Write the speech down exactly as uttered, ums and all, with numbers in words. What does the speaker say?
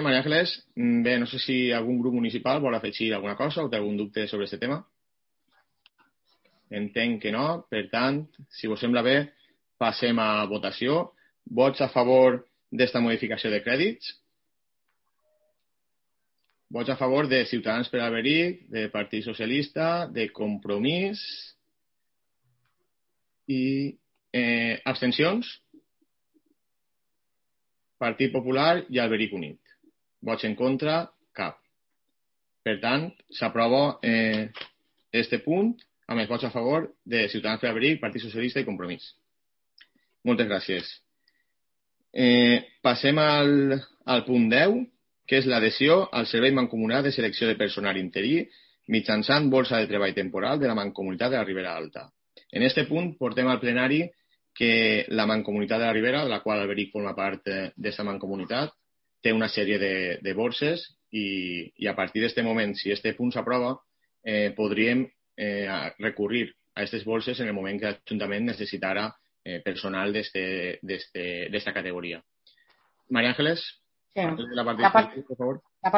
Maria Ángeles. Bé, no sé si algun grup municipal vol afegir alguna cosa o té algun dubte sobre aquest tema. Entenc que no. Per tant, si us sembla bé, passem a votació. Vots a favor d'esta modificació de crèdits? Vots a favor de Ciutadans per Alberic, de Partit Socialista, de Compromís i eh, abstencions? Partit Popular i Alberic Unit. Vots en contra? Cap. Per tant, s'aprova eh, este punt amb els vots a favor de Ciutadans per Alberic, Partit Socialista i Compromís. Moltes gràcies. Eh, passem al, al punt deu, que és l'adhesió al Servei Mancomunat de Selecció de Personal Interí mitjançant borsa de treball temporal de la Mancomunitat de la Ribera Alta. En este punt portem al plenari que la Mancomunitat de la Ribera, de la qual Alberic forma part d'aquesta mancomunitat, té una sèrie de, de borses i, i a partir d'aquest moment, si aquest punt s'aprova, eh, podríem eh, recurrir a aquestes borses en el moment que l'Ajuntament necessitara eh, personal d'esta categoria. María Ángeles, Sí. la parte La part, por favor. la part